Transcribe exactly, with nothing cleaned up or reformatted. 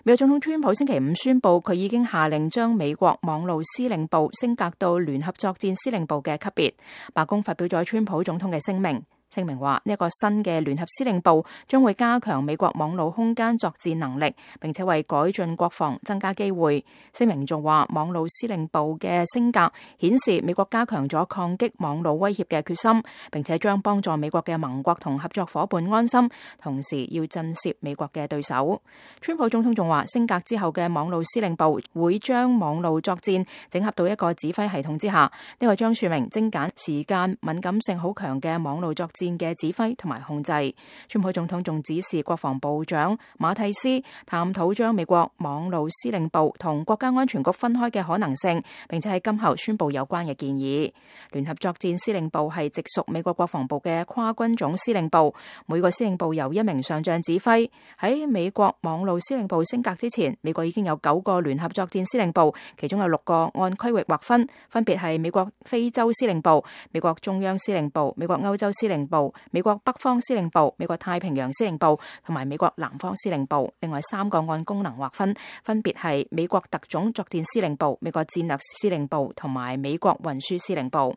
美國總統川普星期五宣布，佢已經下令將美國網路司令部升格到聯合作戰司令部嘅級別。白宮發表咗川普總統嘅聲明。聲明話呢一個新嘅聯合司令部將會加強美國網路空間作戰能力，並且為改進國防增加機會。聲明仲話網路司令部嘅升格顯示美國加強咗抗擊網路威脅嘅決心，並且將幫助美國嘅盟國同合作夥伴安心，同時要震懾美國嘅對手。川普總統仲話升格之後嘅網路司令部會將網路作戰整合到一個指揮系統之下，呢、這個將說明精簡時間敏感性好強嘅網路作戰嘅指揮同埋控制。川普總統仲指示國防部長馬蒂斯探討將美國網路司令部同國家安全局分開嘅可能性，並且喺今後宣布有關嘅建議。聯合作戰司令部係直屬美國國防部嘅跨軍總司令部，每個司令部由一名上將指揮。喺美國網路司令部升格之前，美國已經有九個聯合作戰司令部，其中有六個按區域劃分，分別係美國非洲司令部、美國中央司令部、美國歐洲司令部、美國北方司令部、美國太平洋司令部同埋美國南方司令部。另外三個按功能劃分，分別係美國特種作戰司令部、美國戰略司令部同埋美國運輸司令部。